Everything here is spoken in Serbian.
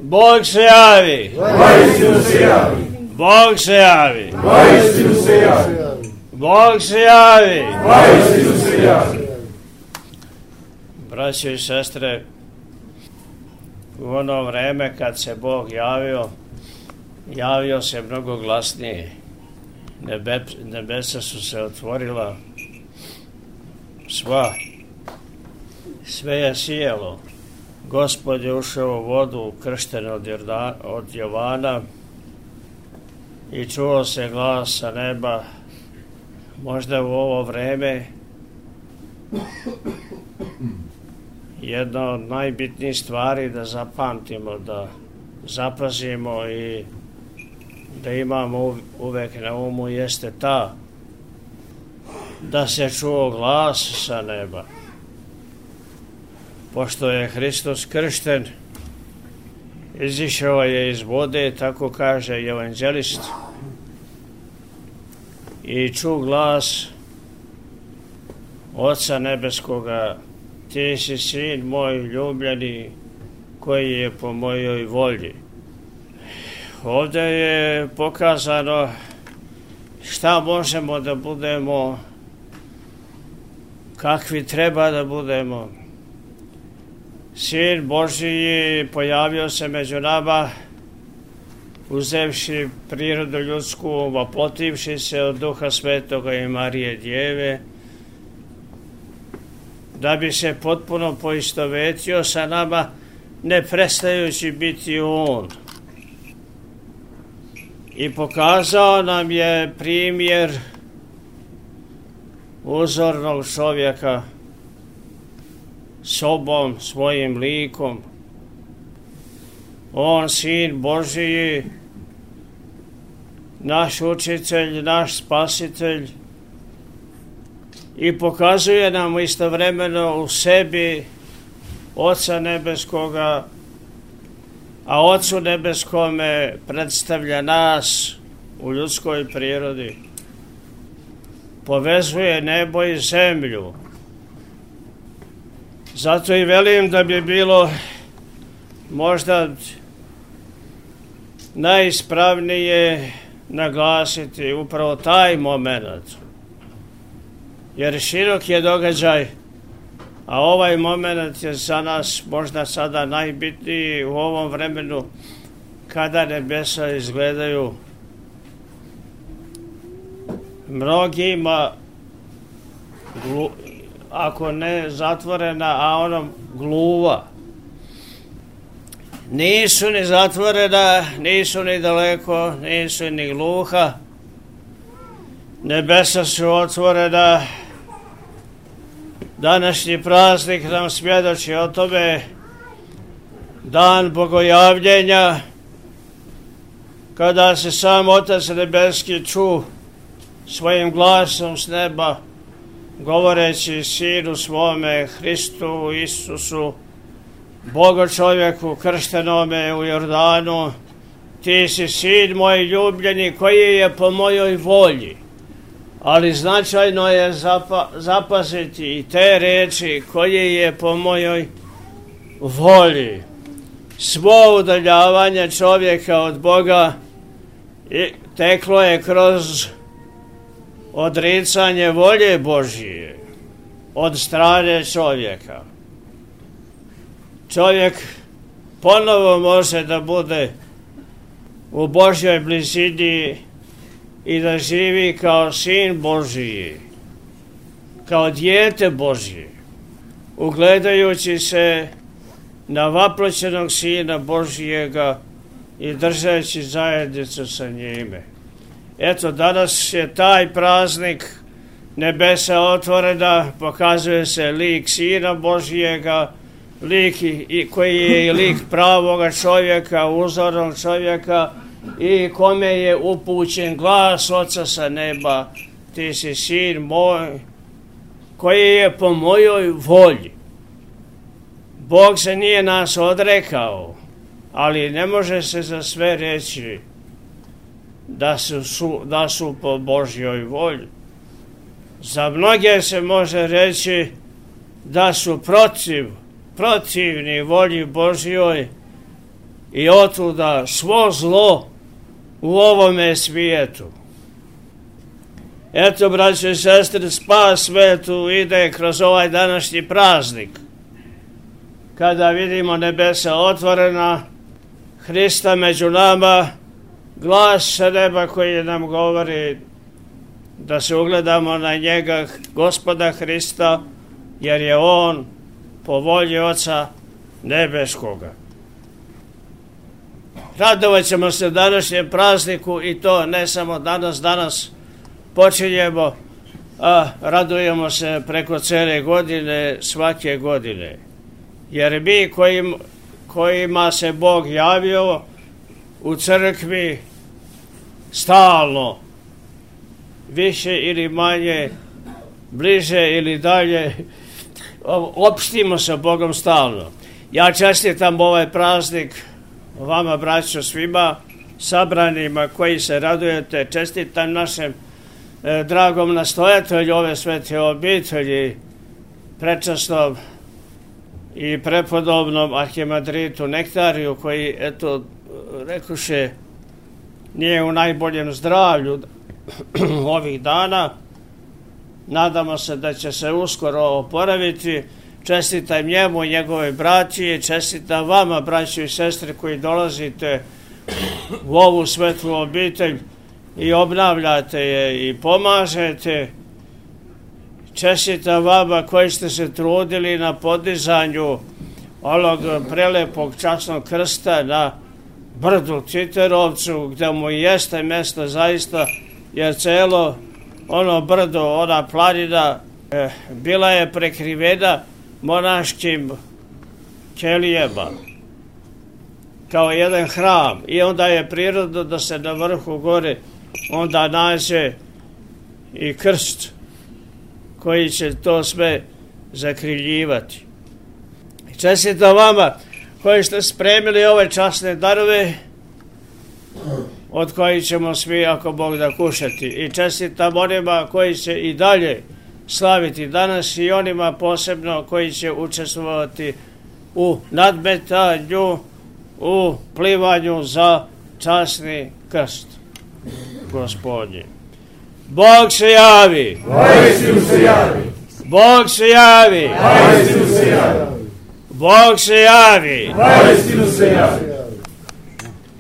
Bog se javi. Vaistinu se javi. Bog se javi. Vaistinu se javi. Bog se javi. Vaistinu se javi. Braćo i sestre, u ono vreme kad se Bog javio se mnogo glasnije. Nebesa su se otvorila, sve je sijelo. Gospod je ušao u vodu, kršten od Jovana, i čuo se glas sa neba. Možda u ovo vreme jedna od najbitnijih stvari da zapamtimo, da zapazimo i da imamo uvek na umu jeste ta da se čuo glas sa neba. Pošto je Hristos kršten, izišao je iz vode, tako kaže evanđelist, i čuo glas Oca nebeskoga: ti si sin moj ljubljeni, koji je po mojoj volji. Ovdje je pokazano šta možemo da budemo, kakvi treba da budemo. Sin Božji pojavio se među nama, uzevši prirodu ljudsku, vaplotivši se od Duha Svetoga i Marije Djeve, da bi se potpuno poistovetio sa nama, ne prestajući biti On. I pokazao nam je primjer uzornog čovjeka, sobom, svojim likom. On, Sin Božiji, naš učitelj, naš spasitelj, i pokazuje nam istovremeno u sebi Oca nebeskoga, a Ocu nebeskome predstavlja nas u ljudskoj prirodi. Povezuje nebo i zemlju. Zato i velim da bi bilo možda najispravnije naglasiti upravo taj moment. Jer širok je događaj, a ovaj moment je za nas možda sada najbitniji u ovom vremenu kada nebesa izgledaju mnogima, ako ne zatvorena, a ono gluva. Nisu ni zatvorena, nisu ni daleko, nisu ni gluha. Nebesa su otvorena. Današnji praznik nam svjedoči o tome, dan bogojavljenja, kada se sam Otac nebeski ču svojim glasom s neba, govoreći Sinu svome, Hristu Isusu, Bogo čovjeku krštenome u Jordanu: ti si Sin moj ljubljeni, koji je po mojoj volji. Ali značajno je zapaziti i te reči: koji je po mojoj volji. Svo udaljavanje čovjeka od Boga teklo je kroz odricanje volje Božije od strane čovjeka. Čovjek ponovo može da bude u Božjoj blizini i da živi kao Sin Božiji, kao dijete Božije, ugledajući se na vaploćenog Sina Božijega i držeći zajednicu sa njime. Eto, danas je taj praznik, nebesa otvorena, pokazuje se lik Sina Božijega, lik koji je i lik pravoga čovjeka, uzornog čovjeka, i kome je upućen glas Oca sa neba: ti si Sin moj, koji je po mojoj volji. Bog se nije nas odrekao, ali ne može se za sve reći da su po Božjoj volji. Za mnoge se može reći da su protivni volji Božjoj, i otuda svo zlo u ovome svijetu. Eto, braćo i sestre, spas svetu ide kroz ovaj današnji praznik, kada vidimo nebesa otvorena, Hrista među nama, glas sa neba koji nam govori da se ugledamo na njega, Gospoda Hrista, jer je on po volji Oca nebeskoga. Radovat ćemo se današnjem prazniku i to ne samo danas počinjemo, a radujemo se preko cele godine, svake godine. Jer mi kojima se Bog javio u crkvi stalno, više ili manje, bliže ili dalje, opštimo sa Bogom stalno. Ja čestitam ovaj praznik vama, braćo, svima sabranima koji se radujete. Čestitam našem dragom nastojatelju ove svete obitelji, prečasnom i prepodobnom arhimandritu Nektariju, koji, eto, rekuše, nije u najboljem zdravlju ovih dana. Nadamo se da će se uskoro oporaviti. Čestitam njemu i njegove braći, čestitam vama, braći i sestre, koji dolazite u ovu svetlu obitelj i obnavljate je i pomažete. Čestitam vama koji ste se trudili na podizanju onog prelepog časnog krsta na brdu Titerovcu, gde mu jeste mesto zaista, jer celo ono brdo, ona planina, bila je prekrivena monaškim kelijama, kao jedan hram, i onda je prirodno da se na vrhu gore onda nađe i krst koji će to sve zakriljivati. Čestitam vama koji ste spremili ove časne darove, od kojih ćemo svi, ako Bog da, kušati. I čestitam onima koji će i dalje slaviti danas i onima posebno koji će učestvovati u nadmetanju, u plivanju za časni krst Gospodnji. Bog se javi! Vaistinu se javi! Bog se javi! Vaistinu se javi! Bog se javi! Vaistinu se javi!